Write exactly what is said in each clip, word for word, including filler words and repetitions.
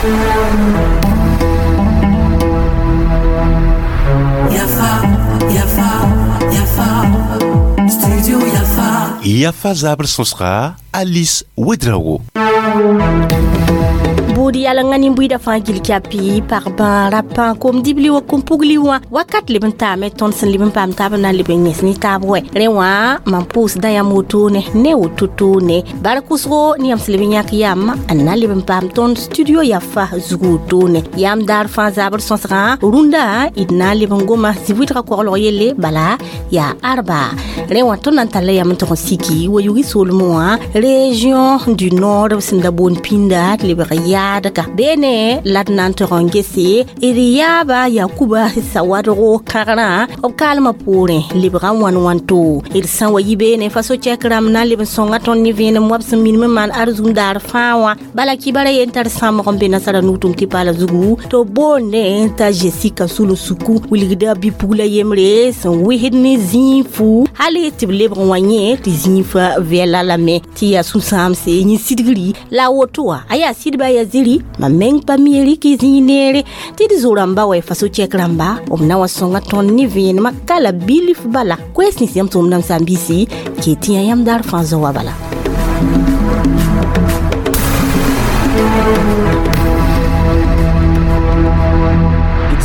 Yafa, Yafa, Yafa, Studio Yafa. Yafa zabr sõsga Alice Ouedraogo. Buud yalengã nin-buiidã fãa gil kyapi pag-bã rapã kom-dibli wa kom-pugli wã wakat leb n taame tõnd sẽn leb n paam taab n na n leb n yẽs ne taab wɛ rẽ wã mam pʋʋsda yãmb wotone ne woto-toone bar kʋsgo ne yãmb sẽn leb n yãk yam n na leb n paam tõnd studio Yafa zug wotone yãmb daar fãa zabr sõsgã rũndã d na n leb n goma zĩ-wɩdgã koglg yelle bala yaa arba rẽ wã tõnd na n talla yam n tog n siki wa yugi soolmẽ wã région du nord sẽn da boond pĩnda tɩ lebg yaadga beene la d na n tog n gese d yaaba Yakuba Sawadgo kãgrã b kaalmã poorẽ lebga wãn wãnto d sã wa yi beene faso-cɛk rãmb na n leb n sõnga tõnd ne vẽenem wa b sẽn minim n maan arzũm daar fãa wã bala kibara yen tar sãmbg n be nasara nugtʋm tɩ paala zugu tɩ b boonde t'a Jessica Sulu-Suku wilgda bi-pugla yembre sẽn wɩsd ne zĩig fu hal tɩ b lebg n wa yẽ tɩ zĩig fa vɛla lame tɩ yaa sũ-sãamse yẽ sidgri la a woto wã a yaa sidba yaa ziri mam meng pa mi rɩk zĩig neere tɩ d zo-rãmba wa faso-cɛk rãmba b na wa sõnga tõnd ne vẽenemã kala bilf bala koɛɛs nins yãmb tʋʋm nam saam-biisi ke tɩ yã yãmb daar fãa zao wa bala.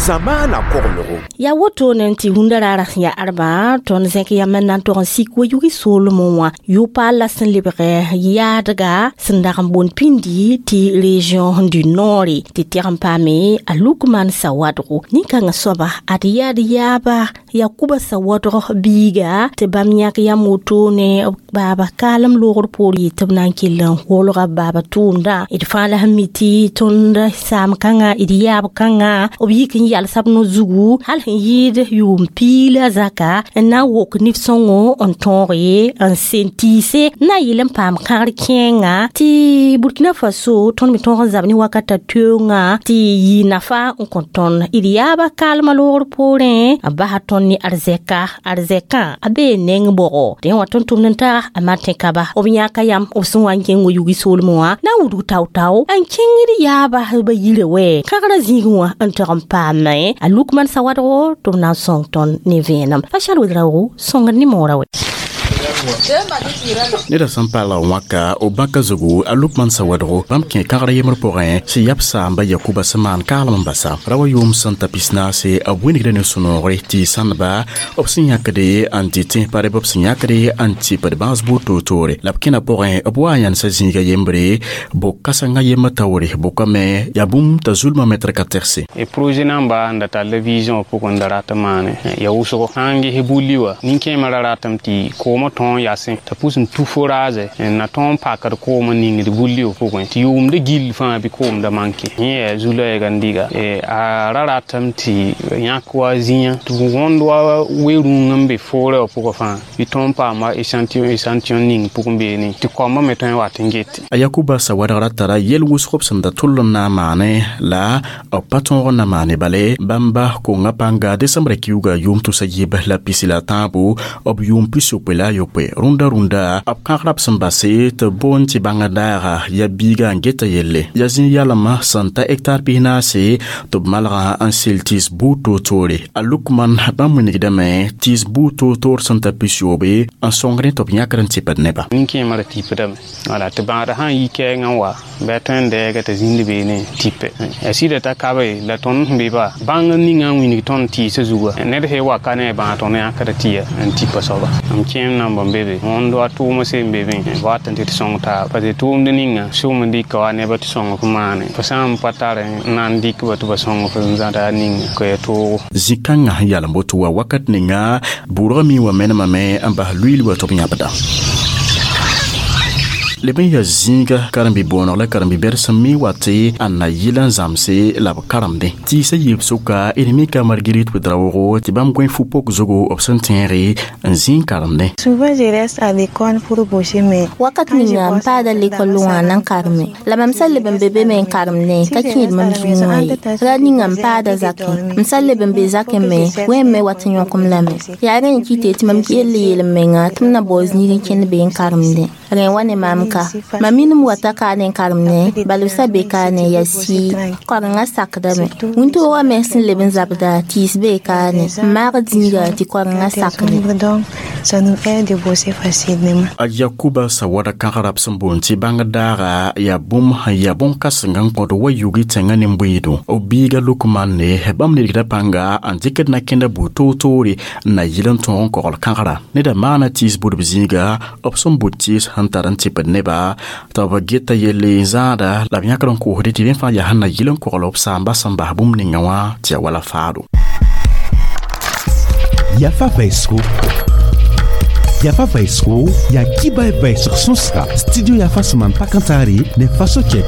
Zamaana koglgo. Ya woto ne tɩ rũndã raara sẽn yaa arba tõnd zẽk yam n na n tog n sik wa yugi soolmẽ wã yʋ-paal la sẽn lebg yaadga sẽn dag n boond pĩndi tɩ région du nord tɩ tɛg n paame a Lukman Sawadgo nin-kãngã soaba ad yaad yaaba Yakuba Sawadg biiga tɩ bãmb yãk yam wotone baaba kaalem loogr poor yɩ tɩ b na n kell n wolga baaba tʋʋmdã d fãa la sẽn mi tɩ tõnd saam kãngã d yaab kãngã b yik n yals b no zugu hal sẽn yɩɩd yʋʋm piila zaka n na n wok nif-sõngo n tõog ye n sen tɩɩse n na yɩl n paam kãgr kẽenga tɩ Burkina Faso tõnd me tõog n zab ne wakata teoongã tɩ yɩ nafa n kõ tõnd d yaaba kaalmã loogr poorẽ a basa tõnd ne arzɛka arzɛkã a bee neng bɔgɔ dẽ wã tõnd tʋmd n taga a Martin Kaba b yãka yam b sẽn wa n kẽng wa yugi soolmẽ wã na n wudg tao-tao n kẽngd yaaba ba yirã wɛ kãgrã zĩigẽ wã n tog n paame a Lukman Sawadgo tɩ b na n sõng tõnd ne vẽenem Fachal Ouedraogo sõngd ne moorã wɛ. Neda sẽn paala wãka b bãka zugu a Lukman Sawadgo bãmb kẽ kãgr yembr pʋgẽ sẽn yab saamba Yakuba sẽn maan kaalem n basa ra wa yʋʋm sẽn ta pis-naase b wĩnigda ne sũ-noogre tɩ sãndba b sẽn yãkde n dɩ tẽ pa b sẽn yãkde n tɩpd bãas buud toor-toore la b kẽna pʋgẽ b wa n yãnsa zĩiga yembre bo-kãsengã yembr taoore bʋkame yaa bũmb t'a zulmã mɛtr ka tɛgse. Projet namba n da tall vision pʋgẽ da rat n maane ya wʋsgo sã n ges bulli wa nin-kẽemã ra ratame tɩ koomã tõog yasẽ t'a pʋs n tu forage n na tõog n pakd koom n ningd bulli wã pʋgẽ tɩ yʋʋmda gill fãa bɩ koom da manke yẽ yaa zu-loɛɛga n diga a ra ratame tɩ yãk wa zĩyã tɩ wõnd wa we-rũng n be foorã wã pʋgã fãa bɩ tõog n paam wa échantillon échantillon ning pʋgẽ beene tɩ koambã me tõe n wat n gete. A Yakuba Sawadg ra tara yel wʋsg b sẽn da tʋll n na n maane la b pa tõog n na maane bale bãmba konga pãnga desembrã kiuga yʋʋm tʋsa yiib la pisi la tãabo b yʋʋm pis-yopoe la a yopoe rũndã rũndã b kãgrã b sẽn base tɩ boond tɩ bãngã daaga yaa biiga n geta yelle yaa zĩig yalem sẽn ta hectare pis-naase tɩ b malgã n sel tɩɩs buud toor-toore a Lukman bãmb wilgdame tɩɩs buud toor-toor sẽn ta pis-yoobe n sõngdẽ tɩ b yãkd n tɩpd nebã. Nin-kẽemã ra tipdame wala tɩ bãagda sã n yi kɛɛngã n wa bɩ a tõe n dɛɛga t'a zĩnd beene tipe a sɩda t'a kabe la tõnd sẽn be ba bãng ninga n wilg tõnd tɩɩsã zuga ned sẽn wa ka ne a bãag tõnd yãkda tɩ n tipa soaba m kẽem namba n be be wõnd wa tʋʋmã seen be be wat n tɩ tɩ sõng taaba parce que tʋʋmd ninga sʋm n dɩka wa nebã tɩ sõng f maane fo sã n pa tar n na n dɩk ba tɩ ba sõng f n zãda ninga ka yaa toogo. Zĩ-kãngã yalem woto wa wakat ninga bʋʋdgã mi wa menemame n bas luiil wa tɩ b yãbda leb n yaa zĩiga karen-bi-boonego la karen-bi-bɛd sẽn mi wa tɩ a na yɩl n zãmse la b karemdẽ tɩɩsã yiib sʋka d mika Marguerite Ouedraogo tɩ bãmb gõe fu-pok zugu b sẽn tẽege n zĩig karemdẽ. Souvent je reste à l'école pour bouger mais wakat ninga n paada lekol wã na n kareme la mam sã leb n be be me n karemdẽ ka kẽed mam zugẽ wã ye ra ninga n paada zakẽ m sã leb n be zakẽ me wẽn me wat n yõk-m lame yaa rẽ n kɩte tɩ mam kell yeel m menga tɩ m na bao zĩig n kẽnd be n karemdẽ rẽ wa ne maam ka mam minim wata kaane n karem ne bala b sa be kaane yaa sii korenga sakdame wĩntoogã me sẽn leb n zabda tɩɩs bee kaane n maag zĩiga tɩ korenga sakde. Donc, ça nous aide de bosser facilement. A Yakuba sawada kãgrab sẽn boond tɩ bãngd daaga yaa bũmb sẽn yaa bõn-kãseng n kõd wa yugi tẽngã nin-bʋɩɩdo b biiga Lukman ne bãmb nidgda pãnga n dɩkd na-kẽnda buud toor-toore n na yɩl n tõog n kogl kãgra neda maana tɩɩs budb zĩiga b sẽn bud tɩɩs sẽn tar n tɩpd neba tɩ b geta yelle n zãada la b yãkd n koosde tɩ rẽ fãa yaa sẽn na yɩl n kogl b saamba sẽn bas bũmb ninga wã tɩ ya wala faado. Yafa vɛɛsgo Yafa vɛɛsgo yaa kiba vɛɛsg sõsga studio Yafa sẽn maan pak n taare ne Faso Chɛk.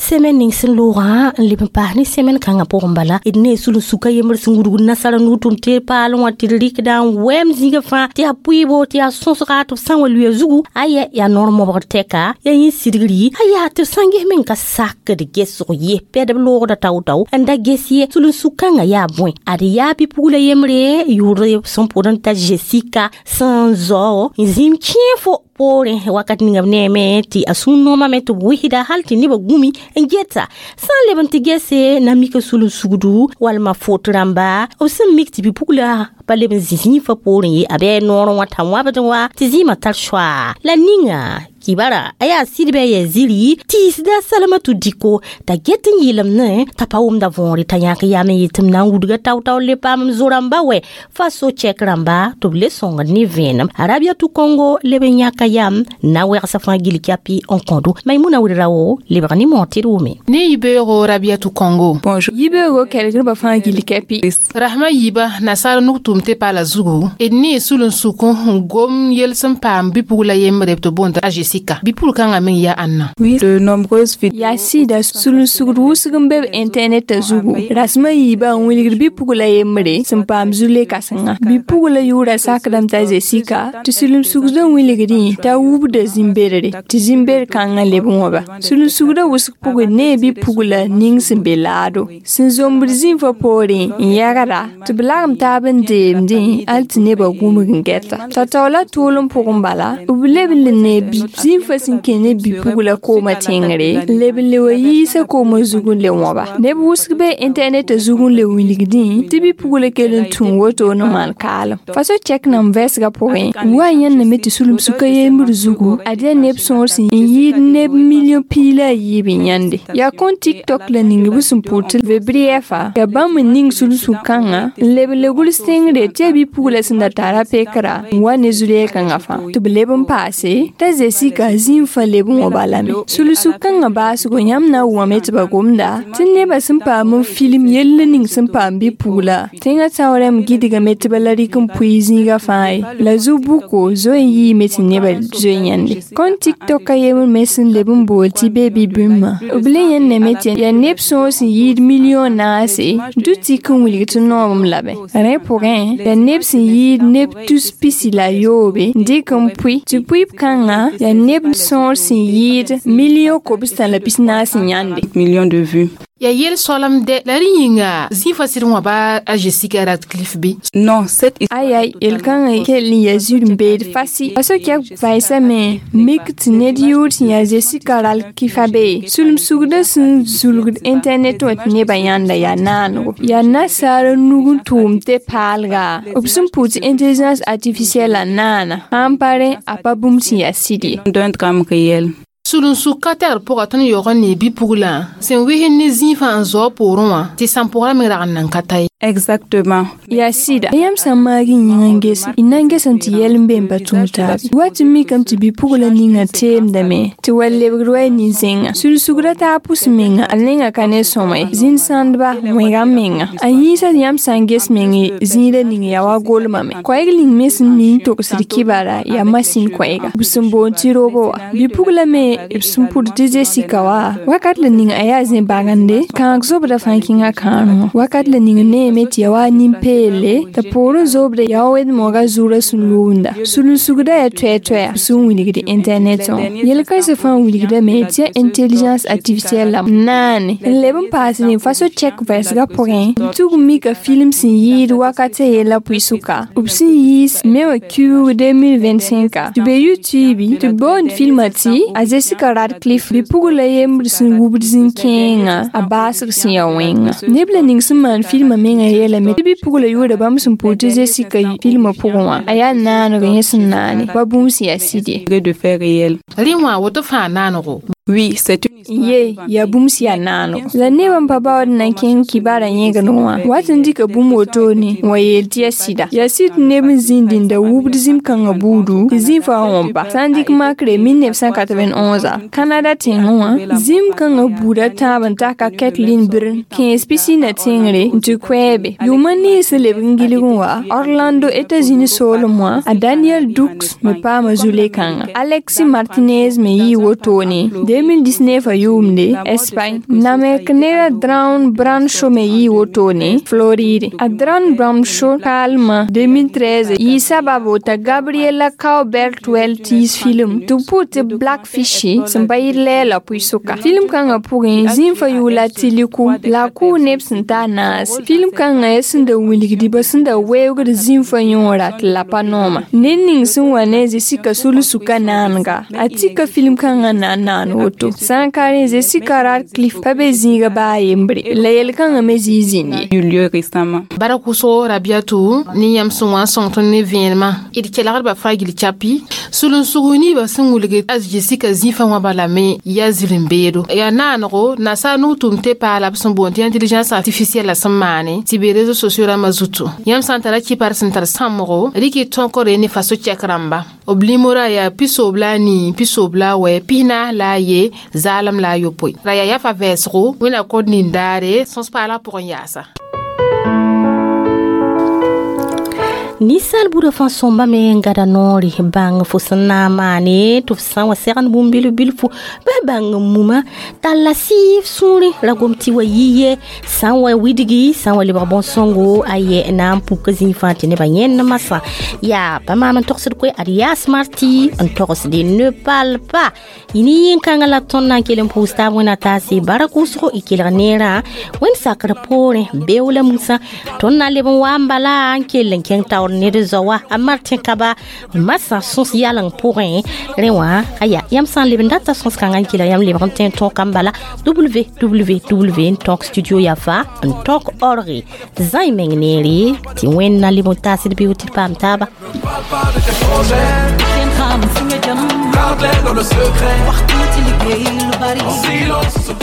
Semaine ning sẽn loogã n leb n paas ne semaine kãngã pʋgẽ bala d ne sul-n-suka yembr sẽn wudg nasara nu-tʋm tɩ paal wã tɩ d rɩkda n wɛm zĩigã fãa tɩ yaa pʋɩɩbo tɩ yaa sõsga tɩ b sã n wa luya zugu aya yaa noor mobgr tɛka yaa yẽ sidgri aya tɩ b sã n ges meng ka sakd gesg ye pɛdb loogda tao-tao n da ges ye sul-n-suk kãngã yaa bõe ad yaa bɩ-pugla yembre yʋʋr sẽn pʋd n ta Jessica sẽn zao n zĩm kẽe fo poorẽ wakat ninga b neeme tɩ a sũur noomame tɩ b wɩsda hal tɩ nebã gũmi n geta sã n leb n tɩ gese na mika sul-n-sugdu walma fot rãmba b sẽn mik tɩ bɩ-pugla pa leb n zĩ zĩifã poorẽ ye a bɩ noorẽ wã t'a wãbd wã tɩ zĩimã tar soaa la ninga kibara a yaa sɩdbɩ a yaa ziri tiisda Salamatu Diko t'a get n yɩlem ne t'a pa wʋmda võore t'a yãk yam n yetɩ m na n wudga tao-tao le paam m zo-rãmba wɛ Faso Chɛk rãmba tɩ b le sõngd ne vẽenem Arabiatu Kongo leb n yãka yam na wɛgsa fãa gil kyapi n kõdo Maimuna Wedrao lebg ne moor tɩ d wʋme. Ne yibeoogo Rabiatu Kongo. Bonjour. Yibeoogo kelgdbã fãa gil kɛpi. Rasmã yiiba nasaar nug tʋʋm tɩ paala zugu d ne sul-n-suk n gom yel sẽn paam bɩ-pugla yembre tɩ boond a Jessica bɩ-pugl kãngã meng yaa ãnna. Oui, de nombreuses vidéos. Yaa sɩda sul-n-sugd wʋsg n be b internet zugu rasmã yiibã n wilgd bɩ-pugla yembre sẽn paam zu-le kãsenga bɩ-pugla yʋʋra sakdame t'a Jessica tɩ sul-n-sugdã wilgdẽ t'a wubda zĩm-bedre tɩ zĩm-bed kãngã leb n wãba sul-n-sugdã wʋsg pʋgẽ nee bɩ-pugla ning sẽn be laado sẽn zombd zĩnfã poorẽ n yɛgda tɩ b lagem taab n deemdẽ hal tɩ nebã gũmg n gɛta t'a taoola tʋʋlem pʋgẽ bala b leb n le ne zĩnfã sẽn kẽ ne bɩ-pugla koomã tẽngre n leb n le wa yiisa koomã zug n le wãba neb wʋsg be internet zug n le wilgdẽ tɩ bɩ-pugla kell n tũ woto n maan kaalem Faso Chɛk nan vɛɛsgã pʋgẽ wa yãnname tɩ sulem-sukã yembr zugu ad yaa neb sõor sẽn yɩɩd neb million piig la a yiib n yãnde yaa kõn TikTok la ning b sẽn pʋʋr tɩ vebrɩɛfa yaa bãmb n ning sul-suk-kãngã n leb n le gʋls tẽngre tɩ yaa bɩ-pugla sẽn da tara pekra n wa ne zu-leel-kãngã fãa tɩ b leb n paase t'a Jessica zĩig fãa leb n wã balame sul-suk-kãngã baasgo yãmb na n wame tɩ ba gomda tɩ nebã sẽn paam n film yell ning sẽn paam bɩ-pugla tẽngã taoorame gɩdgame tɩ ba la rɩk n pʋɩ zĩigã fãa ye la zu-buko zoe n yɩɩme tɩ nebã zoe yãnde kõn TikTok a yembr me sẽn leb n bool tɩ bebi bũmba b le yẽnname tɩ yaa neb sõor sẽn yɩɩd million naase dʋ tɩk n wilg tɩ noobem labe rẽ pʋgẽ yaa neb sẽn yɩɩd neb tus pisi la yoobe n dɩk n pʋɩ tɩ pʋɩb kãngã yaa neb sõor sẽn yɩɩd million kobstã la pis naas n yãnde. Millions de vues. Ya yel soalam dɛ la rẽ yĩnga zĩifã sɩd wãba a Jessica Radcliffe bɩ. Non, cette Aya yel-kãngã kell n yaa zĩr n beed fasi Faso Chɛk vaɩsame mik tɩ ned yʋʋr sẽn yaa Jessica Radcliffe be sulem-sugdã sẽn zulgd internet wã tɩ nebã yãnda yaa naanego yaa nasaar nug n tʋʋm tɩ paalga b sẽn pʋʋs tɩ intelligence artificielle la naana sã n pa rẽ a pa bũmb sẽn yaa sɩd ye. D'un drame réel. Sul-n-suk ka tɛgd pʋga tõnd yaoog n nee bɩ-puglã sẽn wɩsd ne zĩifã n zao poorẽ wã tɩ sãn-pʋgrã me rag n nan ka ta ye. Exactement. Yaa sɩda yãmb sã n maag y yĩngã n ges y na n gesame tɩ yɛl n be n pa tũud taabe wa tɩ mikame tɩ bɩ-pugla ninga teemdame tɩ wa lebgd wa y nin-zẽnga sul-sugda taa pʋs menga a nengã ka ne sõma ye zĩn-sãndba wẽga menga a yĩnsã yãmb sã n ges meng zĩigã ning yaa wa golmame koɛɛg ning me sẽn mi n togsd kibara yaa masin koɛɛga b sẽn boond tɩ robo wã bɩ-pugla me b sẽn pʋd tɩ Jessica wa wakat la ning a yaa zẽ bagende kãag zobda fãa kẽngã kãadẽ wã wakat la ning ne tẽeme tɩ ya wa nin-peelle t'a poorẽ zoobda yaa wa wed-moogã zugrã sẽn loonda. Sulensugda yaa toɛ-toɛa sẽn wilgd internet wã. Yel-kãensã fãa wilgdame tɩ yaa intelligence artificielle la naane n leb n paas ne faso chɛk vɛɛsgã pʋgẽ tug mika film sẽn yɩɩd wakatã yella pʋɩ-sʋka b sẽn yiis me wã kiuug deux mille vingt-cinq tɩ be YouTube tɩ b boond filmã tɩ a Jessica Radcliffe bɩ-pugla yembr sẽn wubd zĩ-kẽengã a baasg sẽn ya wẽnga. Neb la ning sẽn maan filmã mengã yeelame tɩ bɩ-pugla yʋʋra bãmb sẽn pʋʋs tɩ Jessica filmã pʋgẽ wã a yaa naaneg yẽ sẽn naane pa bũmb sẽn yaa sɩd ye. De faits réels. Rẽ wã woto fãa naanego. Oui, c'est une Ye yaa bũmb sẽn yaa naanego la nebã n pa baood n na n kẽng kibaarã yẽgd wã wat n dɩka bũmb wotone n wa yeel tɩ yaa sɩda yaa sɩd tɩ neb n zĩnd n da wubd zĩm-kãngã buudu tɩ zĩ-fã wã wõmpa sã n dɩk makre mille neuf cent quatre-vingt-onze Canada tẽngẽ wã zĩm-kãngã buuda tãab n taka Kathleen Birn kẽes pisina tẽngre n tɩ koɛɛbe yʋʋmã nins sẽn lebg n gilg n wa Orlando États-Unis soolem wã a Daniel Dukes me paama zu-le-kãnga Alexi Martinez me yɩɩ wotone deux mille dix-neuf a yʋʋmde Espagne namek ned Dawn Brancheau me yɩɩ wotone Floride a Dawn Brancheau kaalmã deux mille treize yɩ sababo t'a Gabriela Cowbert Weltis film tɩ b pʋʋ tɩ Blackfish sẽn pa yɩ lɛɛla pʋɩ-sʋka film kãngã pʋgẽ zĩm-fã yʋʋla tiliku la a kʋʋ neb sẽn taa naase film kãngã yaa sẽn da wilgd ba sẽn da weoogd zĩm-fã yõora tɩ la pa nooma ned ning sẽn wa ne Jessica sul-sukã naanega a tika film kãngã na n naan woto sã n ka rẽ Jessica Radcliffe pa be zĩiga baa yembre la yel-kãngã me zĩig zĩnd ye. Eu lieu récemment. Bara kʋsgo Rabiatou ne yãmb sẽn wa n sõng tõnd ne vẽenemã d kelgdba fãa gil chapi sulensug niibã sẽn wilg a Jessica zĩ-fã wã balame yaa zĩrim-beedo yaa naanego nasaar nug-tʋʋm tɩ paala b sẽn boond tɩ intelligence artificielle la sẽn maane tɩ be réseaux sociaux rãmbã zutu yãmb sã n tara kipar sẽn tar sãmbgo rɩk tõkre ne faso chɛk rãmba b limora yaa pisoob la a nii pisoob la a wɛ pisnaas la a ye zaalem la a yopoe ra yaa yafa vɛɛsgo wẽnna kod nin-daare sõs paala pʋgẽ yaasa. Ninsaal buudã fãa sõmba me n gada noore bãng fo sẽn na n maane tɩ f sã n wa segend bũmb bilf bilfu bɩ bãng n muma talla sɩɩf sũurẽ ra gom tɩ wa yi ye sã n wa widgi sã n wa lebg bõn-sõngo a yɛ na n puk zĩig fãa tɩ nebã yẽnd masã yaa pa maam n togsd koe ad yaa smarti n togsde ne parle pas yĩni yĩn-kãngã la tõnd na n kell n pʋʋs taab wẽna taase bara kʋʋsgo y kelg neerã wẽnd sakr poorẽ beoog la musã tõnd na n leb n wa n bala n kell n kẽng taoor ned zaoa a Martin Kaba masã sõs yaleng pʋgẽ rẽ wã aya yãmb sã n leb n data sõs kãngã n kelg yãmb lebg n tẽ tõog kam bala W W W n tõk studio yafa n tõk org zãi meng neere tɩ wẽnd na leb n taasd bɩ tɩ d paam taaba. Garde-les dans le secret. En silence, se